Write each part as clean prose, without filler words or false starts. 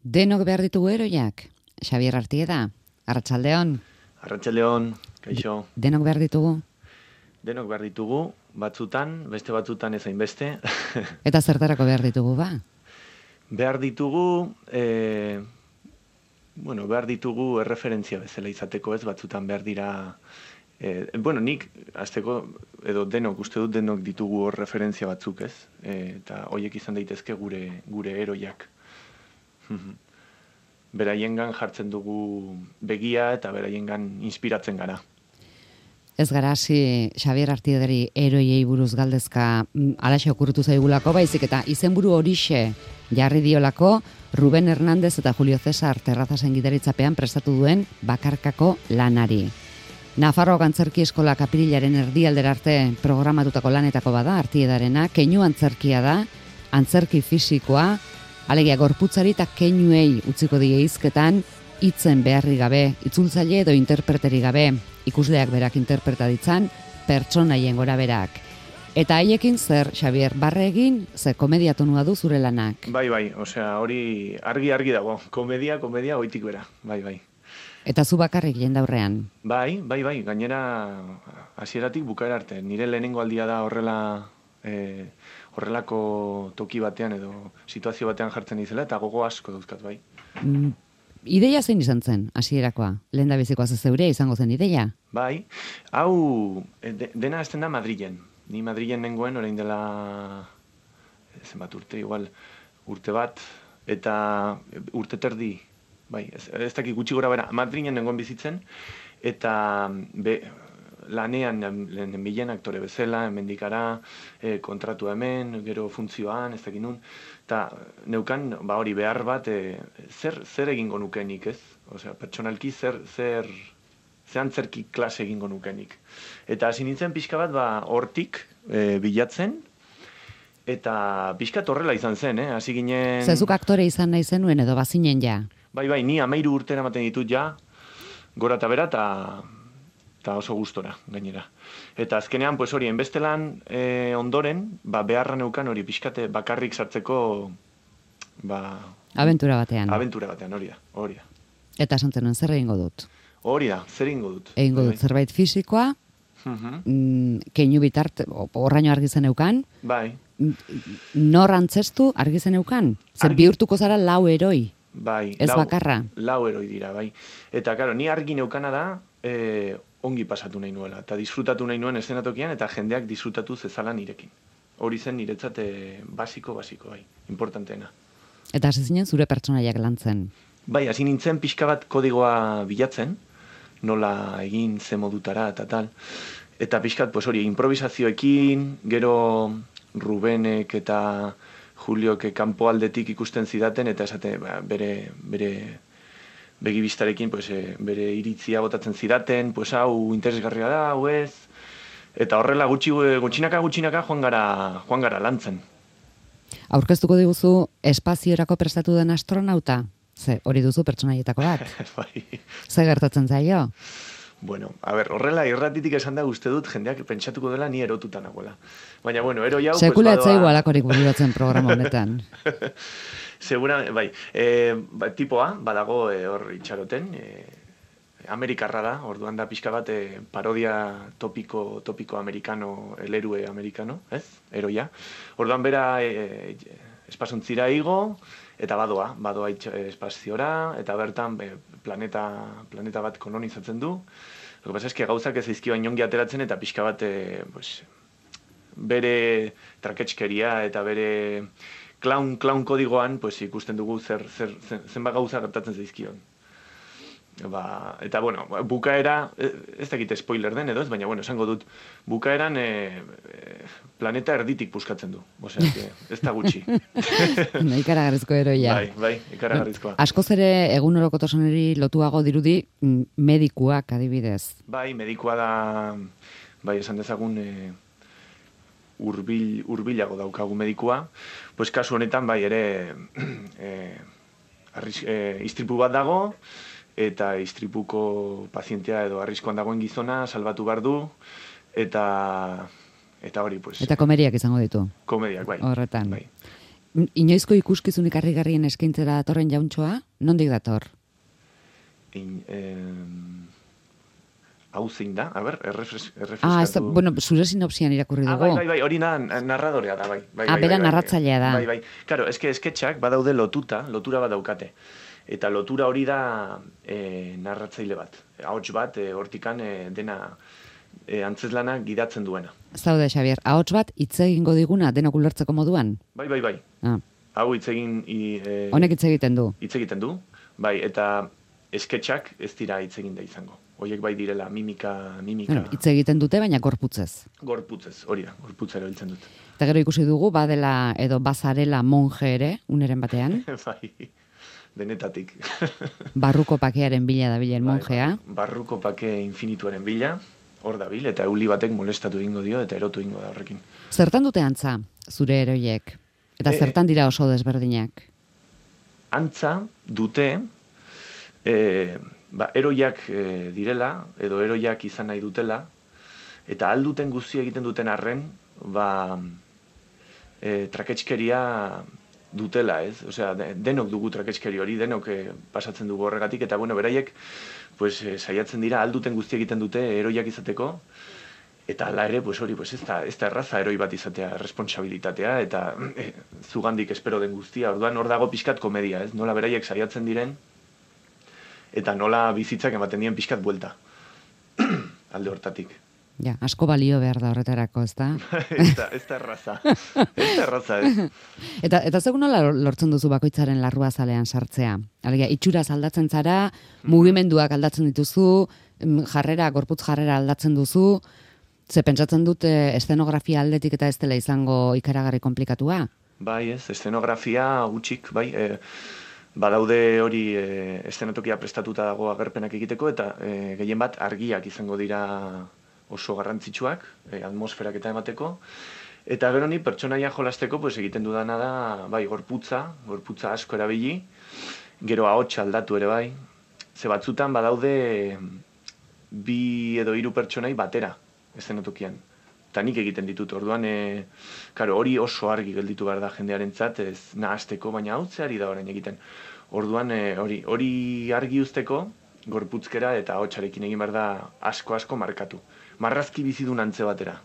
Denok behar ditugu heroiak? Xabier Artieda, Arratsaldeon. Arratsaldeon, kaixo. Denok behar ditugu? Denok behar ditugu, batzutan, beste batzutan ezain beste. Eta zertarako behar ditugu ba? Behar ditugu, behar ditugu erreferentzia bezala izateko, ez batzutan behar dira... nik, azteko, edo denok, uste dut denok ditugu hor referentzia batzuk, ez? Eta horiek izan daitezke gure heroiak. Beraiengan jartzen dugu begia eta beraiengan inspiratzen gara. Ez gara hasi Xabier Artiedari heroiei buruz galdezka alaxe okurritu zaigulako, baizik eta izenburu horixe jarri diolako Ruben Hernández eta Julio César Terrazasen gidaritzapean prestatu duen bakarkako lanari. Nafarroako Antzerki Eskola apirilaren erdialdera arte programatutako lanetako bada Artiedarena, keinu antzerkia da, antzerki fisikoa, alegia gorputzari eta keinuei utziko die hizketan, hitzen beharri gabe, itzultzaile edo interpreteri gabe, ikusleak berak interpreta ditzan, pertsonaien gora berak. Eta haiekin zer, Xabier, barre egin, ze komedia tonua du zure lanak? Bai, osea, hori argi dago, komedia, oitik bera, bai. Eta zu bakarrik jendaurrean? Bai, gainera hasieratik bukaera arte. Nire lehenengo aldia da horrelako toki batean edo situazio batean jartzen izela, eta gogo asko dauzkat, bai. Ideia zein izan zen, hasierakoa? Lehendabizikoa zeure izango zen ideia? Bai, hau dena hasten da Madrilen. Ni Madrilen nengoen orain dela zenbat urte, igual urte bat, eta urte terdi, bai, ez dakik gutxi gora bera, Madrilen nengoen bizitzen, eta lanean bilen aktore bezala, hemendikara, kontratu hemen, gero funtzioan, ez dakit nun, eta neukan, hori behar bat, zer egingo nukenik, ez? Osea, pertsonalki zer antzerki klase egingo nukenik. Eta hasi nintzen pixka bat, hortik bilatzen, eta pixkat horrela izan zen, hasi ginen... Zezuk aktore izan nahi zenuen edo bazinen ja? Bai, ni 13 urte eramaten ditut ja, gora eta bera, eta oso gustora, gainera. Eta azkenean, pues hori, enbestelan ondoren, beharra neukan hori pixkate bakarrik sartzeko, Abentura batean, hori da. Eta esantzen nuen, zer egingo dut? Hori da, zer egingo dut? Egingo dut zerbait fisikoa, keinu bitart, horraino argi zeneukan, bai. Nor antzestu argi zeneukan? Zer bihurtuko zara lau heroi? Bai, ez bakarra? Lau heroi dira, bai. Eta, karo, ni argi neukana da, ongi pasatu nahi nuela, eta disfrutatu nahi nuen eszenatokian, eta jendeak disfrutatu zezala nirekin. Hori zen niretzat basiko, bai, importanteena. Eta hasi zinen zure pertsonaiak lantzen? Bai, hasi nintzen pixka bat kodigoa bilatzen, nola egin ze modutara eta tal. Eta pixkat, pues hori, improvisazioekin, gero Rubenek eta Juliok kanpo aldetik ikusten zidaten, eta esate bere begibistarekin, pues, bere iritzia botatzen zidaten, pues hau interesgarria da, hau ez. Eta horrela gutxinaka joan gara lantzen. Aurkeztuko diguzu espaziorako prestatu den astronauta? Ze, hori duzu pertsonaietako bat? Bai. Ze gertatzen zaio? Bueno, horrela irratitik esan da uste dut jendeak pentsatuko dela ni erotuta nagoela. Baina, heroi hau... Sekula etzaigu alakorik bururatzen programa honetan. Segura, bai. Tipoa, badago hor itxaroten, amerikarra da, orduan da pixka bat parodia topiko amerikano, el héroe amerikano, ez? Heroia. Orduan bera espazontzira igo, eta badoa espaziora, eta bertan planeta bat kolonizatzen du. Lo que pasa es que gauzak ez zaizkio inongi ateratzen, eta pixka bat bere traketxkeria eta bere clown kodigoan ikusten dugu zenbat gauza gertatzen zaizkion. Eta, bukaera, ez dakit spoiler den edo ez, baina, esango dut, bukaeran planeta erditik puskatzen du. Osea, ez da gutxi. Ikaragarrizko heroia. Bai, ikaragarrizkoa. Askoz ere egunerokotasunari lotuago dirudi medikuak adibidez. Bai, medikua da, esan dezagun hurbilago daukagu medikua. Pues kasu honetan, ere istripu bat dago, eta istripuko pazientea edo arriskoan dagoen gizona salbatu behar du, eta hori, pues... Eta komediak izango ditu. Komediak, bai. Horretan. Bai. Inoizko ikuskizunik harrigarrien eskaintzera datorren jauntxoa? Nondik dator? Hau zein da? A ber, errefreskatu... bueno, zure sinopsian irakurri dugu. Bai, hori narradorea da, bai. Bera narratzailea da. Bai. Karo, esketxak badaude lotura bat daukate. Eta lotura hori da narratzaile bat. Ahots bat, hortikan dena antzezlana gidatzen duena. Zaude, Xabier, ahots bat hitz egingo diguna denok ulertzeko moduan? Bai. Hau hitz egin... Honek hitz egiten du? Hitz egiten du, bai, eta esketxak ez dira hitz egin da izango. Hoiek bai direla mimika... Hitz egiten dute, baina gorputzez. Gorputzez, hori da, gorputzera biltzen dut. Eta gero ikusi dugu, badela edo bazarela monje ere, uneren batean. Bai, denetatik. Barruko pakearen bila dabilen monjea. Barruko pake infinituaren bila, hor dabil, eta euli batek molestatu egingo dio, eta erotu egingo da horrekin. Zertan dute antza, zure heroiek? Eta zertan dira oso desberdinak? Antza dute... eroiak direla, edo eroiak izan nahi dutela, eta alduten guzti egiten duten arren, traketskeria dutela, ez? Osea, denok dugu traketskeri hori, denok pasatzen dugu horregatik, eta beraiek saiatzen dira alduten guzti egiten dute eroiak izateko, eta hala ere, hori, ez da erraza eroi bat izatea, responsabilitatea, eta zugandik espero den guztia, orduan hor dago pixkat komedia, ez? Nola beraiek saiatzen diren, eta nola bizitzak ematen dien pixkat buelta. Alde hortatik. Ja, asko balio behar da horretarako, ez da? Ez da erraza. Ez da erraza, ez. Eta zegoen nola lortzen duzu bakoitzaren larrua zalean sartzea? Alegia, itxuraz aldatzen zara, mugimenduak aldatzen dituzu, gorputz jarrera aldatzen duzu, ze pentsatzen dut eszenografia aldetik eta ez dela izango ikaragarri komplikatua? Bai, ez, eszenografia gutxik, bai, badaude hori eszenatokia prestatuta dago agerpenak egiteko, eta gehien bat argiak izango dira oso garrantzitsuak, atmosferak eta emateko. Eta gero ni pertsonaia jolasteko egiten dudana da, bai, gorputza asko erabili, gero ahotsa aldatu ere bai. Ze batzutan badaude 2 edo 3 pertsonai batera eszenatokian. Eta nik egiten ditut, orduan, hori oso argi gelditu behar da jendearentzat, ez nahasteko, baina hau zeari da orain egiten. Orduan, hori argi uzteko, gorputzkera eta ahotsarekin egin behar da asko markatu. Marrazki bizidun antze batera.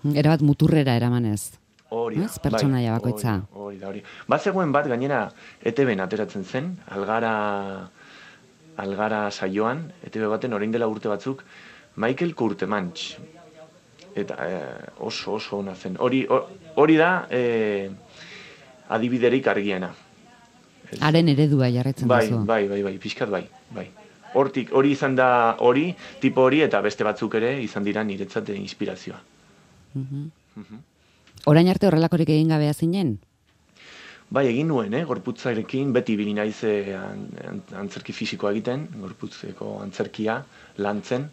Erabat muturrera eramanez. Hori da, pertsonaia bakoitza. Hori. Bazegoen bat, gainera, ETB-en ateratzen zen, algara saioan, ETB baten orain dela urte batzuk, Michael Courtemanche. Eta oso ona zen. Hori da adibiderik argiena. Haren eredua jarretzen duzu. Bai, pixkat bai. Hortik, hori izan da tipo hori, eta beste batzuk ere izan dira niretzat inspirazioa. Orain arte horrelakorik egin gabea zinen? Bai, egin nuen, gorputzarekin, beti bili naiz antzerki fisikoa egiten, gorputzeko antzerkia lantzen,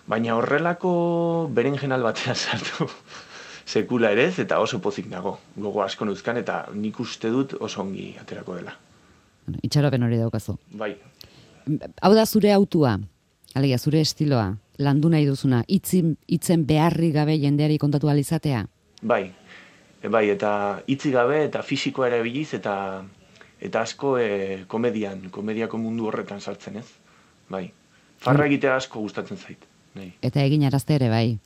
baina horrelako berenjenal batean sartu sekula ere ez, eta oso pozik nago, gogo asko nuzkan, eta nik uste dut oso ongi aterako dela. Itxaropen hori daukazu. Bai. Hau da zure autua, alegia zure estiloa, landu nahi duzuna, hitzen beharri gabe jendeari kontatu alizatea? Bai, eta hitzi gabe eta fisikoa ere biliz, eta asko komediako mundu horretan sartzen ez. Bai, farra egitea asko gustatzen zait. Nei. Eta egin arazte ere bai.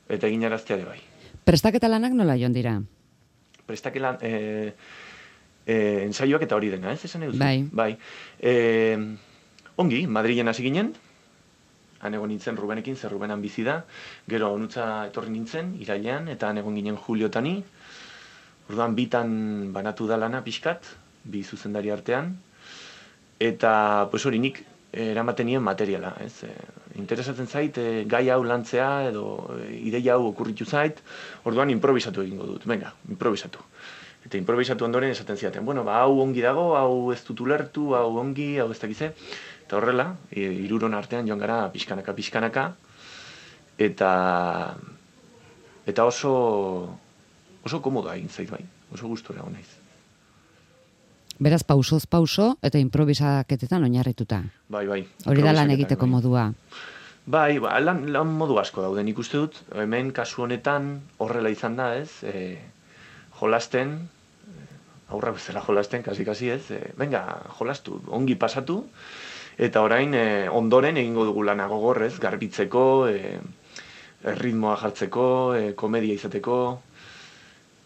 Prestaketa lanak nola joan dira? Prestaketa ensaioak eta hori dena, ez esan eduzu? Bai. Ongi, Madrilen hasi ginen, han egon nintzen Rubenekin, zer Rubenan bizi da, gero onutza etorri nintzen, irailean, eta han egon ginen Juliotani, orduan bitan banatu da lana pixkat, 2 zuzendari artean, eta hori nik eramaten nien materiala, ez? Interesatzen zait, gai hau lantzea edo ideia hau okurritu zait, orduan improvisatu egingo dut, venga, improvisatu. Eta improvisatu ondoren esaten ziaten, hau ongi dago, hau ez dut ulertu, hau ongi, hau ez dakize, eta horrela, 3 artean joan gara pixkanaka, eta oso komoda egin zait bai, oso gustora hon naiz. Beraz, pausoz pauso eta improvisaketetan oinarrituta. Bai. Hori da lan egiteko modua. Bai, lan modu asko dauden ikuste dut. Hemen kasu honetan horrela izan da, ez? Jolasten, aurrak bezala jolasten, kasi ez, venga, jolastu, ongi pasatu, eta orain ondoren egingo dugu lana gogorrez, garbitzeko, ritmoa jartzeko, komedia izateko,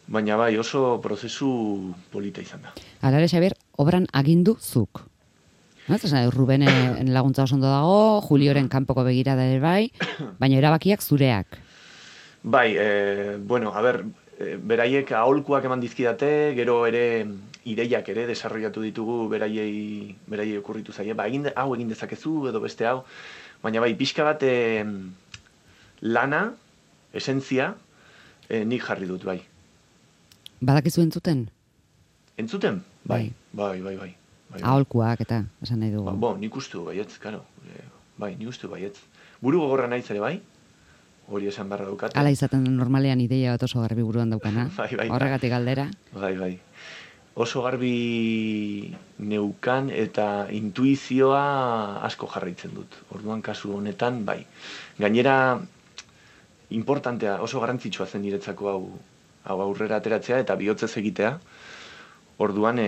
baina bai oso prozesu polita izan da. Alare, Xabier, obran agindu zuk. Rubenen laguntza oso ondo dago, Julioren kanpoko begirada ere bai, baina erabakiak zureak. Bai, bueno, a ber, beraiek aholkuak eman dizkidate, gero ere ideiak ere desarrollatu ditugu beraiei okurritu zaie, ba, hau egin dezakezu edo beste hau, baina bai, pixka bat lana, esentzia, nik jarri dut, bai. Badakizu entzuten? Entzuten? Bai. Aholkuak eta, esan nahi dugu. Bo, nik ustu baietz, karo. Bai, nik ustu baietz. Buru gogorra naiz ere bai, hori esan barra daukat. Hala izaten normalean ideia bat oso garbi buruan daukana. Bai. Horregatik galdera. Bai. Oso garbi neukan eta intuizioa asko jarraitzen dut. Orduan kasu honetan, bai. Gainera, importantea, oso garrantzitsua zen niretzako hau aurrera ateratzea eta bihotzez egitea. Orduan,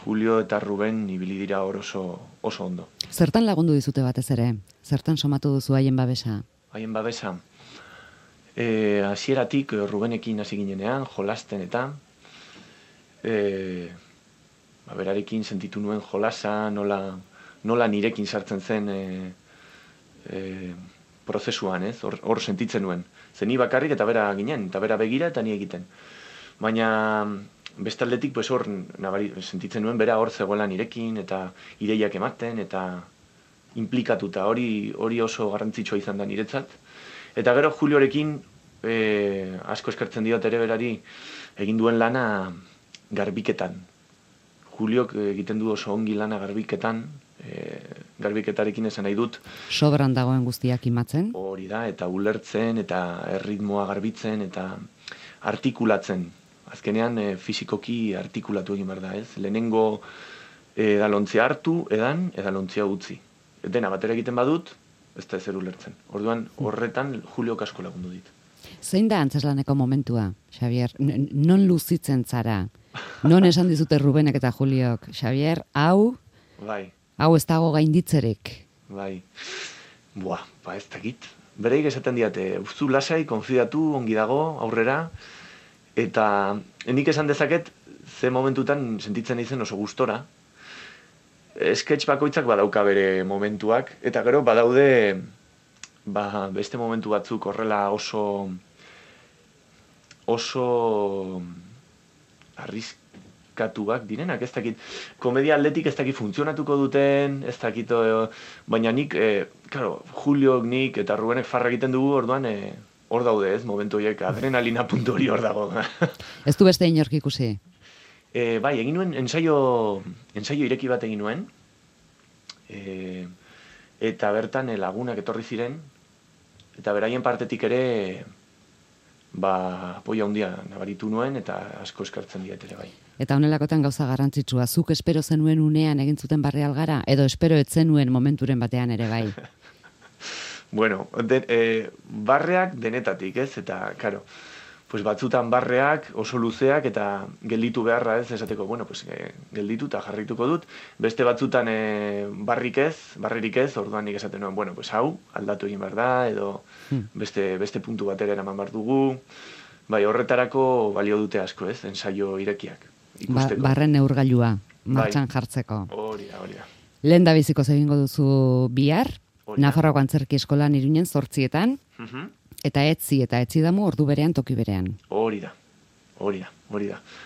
Julio eta Ruben ibili dira hor oso ondo. Zertan lagundu dizute batez ere? Zertan somatu duzu haien babesa? Haien babesa? Hasieratik Rubenekin hasi ginenean, jolasten eta berarekin sentitu nuen jolasa, nola nirekin sartzen zen prozesuan, ez? Hor sentitzen nuen. Zeni bakarrik eta bera ginen, eta bera begira eta ni egiten. Baina bestaldetik, pues hor sentitzen nuen bera hor zegoela nirekin, eta ideiak ematen, eta implikatuta, hori oso garrantzitsua izan da niretzat. Eta gero Juliorekin asko eskertzen diot ere berari egin duen lana garbiketan. Juliok egiten du oso ongi lana garbiketan, garbiketarekin esan nahi dut. Sobran dagoen guztiak imatzen? Hori da, eta ulertzen, eta erritmoa garbitzen, eta artikulatzen. Azkenean fisikoki artikulatu egin behar da, ez? Lehenengo edalontzia hartu, edalontzia utzi. Dena batera egiten badut, ez da ezer ulertzen. Orduan, horretan Juliok asko lagundu dit. Zein da antzeslaneko momentua, Xabier? Non luzitzen zara? Non esan dizute Rubenek eta Juliok? Xabier, hau ez dago gainditzerek. Bai. Ez dakit. Bereik esaten diate, uzu lasai, konfidatu, ongi dago, aurrera, eta nik esan dezaket, ze momentutan sentitzen izen oso gustora. Sketch bakoitzak badauka bere momentuak, eta gero badaude beste momentu batzuk horrela oso arriskatuak direnak, ez dakit, komedia aldetik ez dakit funtzionatuko duten, ez dakit, baina nik, Julio, nik eta Rubenek farra egiten dugu, orduan, hor daude ez, momentu horiek, adrenalina puntu hori hor dago. Ez du beste inork ikusi? Bai, egin nuen, ensaio ireki bat egin nuen, eta bertan lagunak etorri ziren, eta beraien partetik ere, poia handia nabaritu nuen, eta asko eskartzen diet ere bai. Eta honelakotan gauza garrantzitsua, zuk espero zenuen unean egin zuten barre algara, edo espero etzenuen momenturen batean ere bai? Bueno, barreak denetatik, ez? Eta, karo, pues batzutan barreak oso luzeak eta gelditu beharra, ez? Esateko, bueno, pues gelditu eta jarrituko dut. Beste batzutan barririk ez, orduan nik esaten nuen, bueno, pues hau, aldatu egin behar da, edo beste puntu batera eraman behar dugu. Bai, horretarako balio dute asko, ez? Ensaio irekiak. Barren neurgailua, martxan jartzeko. Hori da. Lehen da biziko egingo duzu bihar, Nafarroako Antzerki Eskolan Iruinen 8etan, eta etzi damu ordu berean, toki berean. Hori da.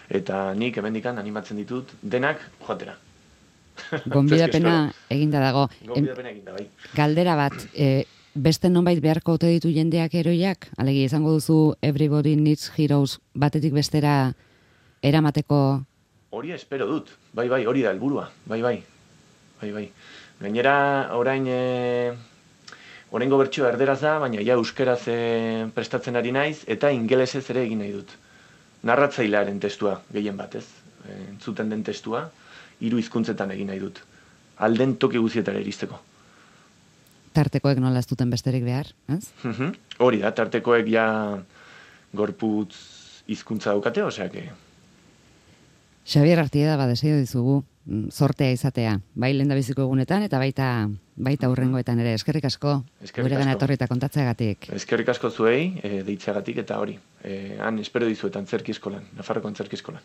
Eta nik hemendikan animatzen ditut denak joatera. Gonbidapena eginda dago. Bai. Galdera bat, beste nonbait beharko ote ditu jendeak heroiak? Alegi, izango duzu Everybody Needs Heroes batetik bestera eramateko? Hori espero dut. Bai, hori da helburua. Bai. Gainera, oraingo bertsioa erderaz da, baina ja euskeraz prestatzen ari naiz, eta ingelesez ere egin nahi dut. Narratzailearen testua, gehien bat, ez? Entzuten den testua, 3 hizkuntzetan egin nahi dut. Alden toki guztietara iristeko. Tartekoek nola ez duten besterik behar, ez? Hori da, tartekoek ja gorputz hizkuntza daukate, osea que Xabier Artieda, desio dizugu zortea izatea, bai lehendabiziko egunetan eta baita hurrengoetan ere. Eskerrik asko, guregana etorri eta kontatzeagatik. Eskerrik asko zuei, deitzeagatik eta hori. Han espero dizuetan antzerki eskolan, Nafarroko antzerki eskolan.